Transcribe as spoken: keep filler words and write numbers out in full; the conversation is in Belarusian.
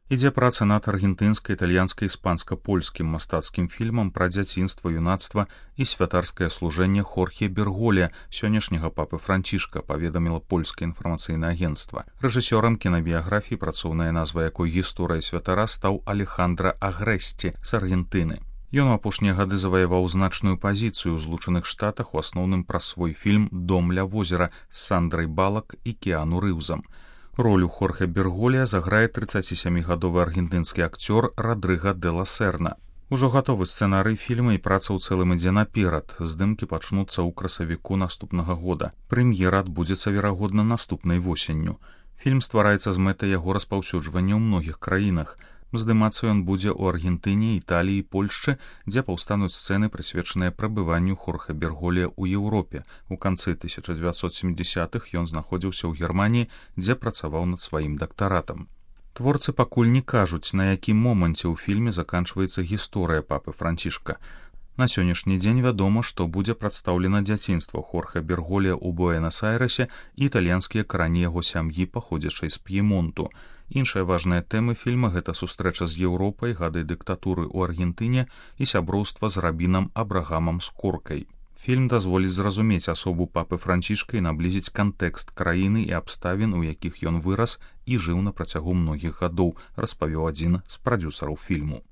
Ідзе праца над аргентынска-італьянска-іспанска-польскім мастацкім фільмам пра дзяцінства, юнацтва і святарскае служэнне Хорхе Берголя, сённяшняга папы Францішка, паведаміла польскае інфармацыйнае агенцтва. Рэжысёрам кінабіяграфіі, працоўная назва якой «Гісторыя святара», стаў Алехандро Агрэсці з Аргентыны. Ён у апошнія гады заваяваў значную пазіцыю ў Злучаных Штатах, у асноўным праз свой фільм «Дом ля возера» з Сандрай Балак і Кіану Рыўзам. Ролю Хорхе Берголя заграе трыццацісямігадовы аргентынскі акцёр Радрыга де ла Серна. Ужо гатовы сцэнарый фільма і праца ў цэлым ідзе наперад. Здымкі пачнуцца ў красавіку наступнага года. Прэм'ера адбудзецца, верагодна, наступнай восенню. Фільм ствараецца з мэтай яго распаўсюджвання ў многіх краінах. Здымацца ён будзе ў Аргентыне, Італіі і Польшчы, дзе паўстануць сцэны, прысвечаныя прабыванню Хорхе Берголя ў Еўропе. У канцы тысяча дзевяцьсот сямідзясятых ён знаходзіўся ў Германіі, дзе працаваў над сваім дактаратам. Творцы пакуль не кажуць, на якім моманце ў фільме заканчваецца гісторыя папы Францішка. На сённяшні дзень вядома, што будзе прадстаўлена дзяцінства Хорхе Берголя ў Буэнас-Айрэсе і італьянскія карані яго сям'і, паходзячай з П'емонту. Іншая важная тэма фільма – гэта сустрэча з Еўропай, гады дыктатуры ў Аргентыне і сяброўства з рабінам Абрагамам Скоркай. Фільм дазволіць зразумець асобу папы Францішка і наблізіць кантэкст краіны і абставін, у якіх ён вырас і жыў на працягу многіх гадоў, распавёў адзін з прадзюсараў фільму.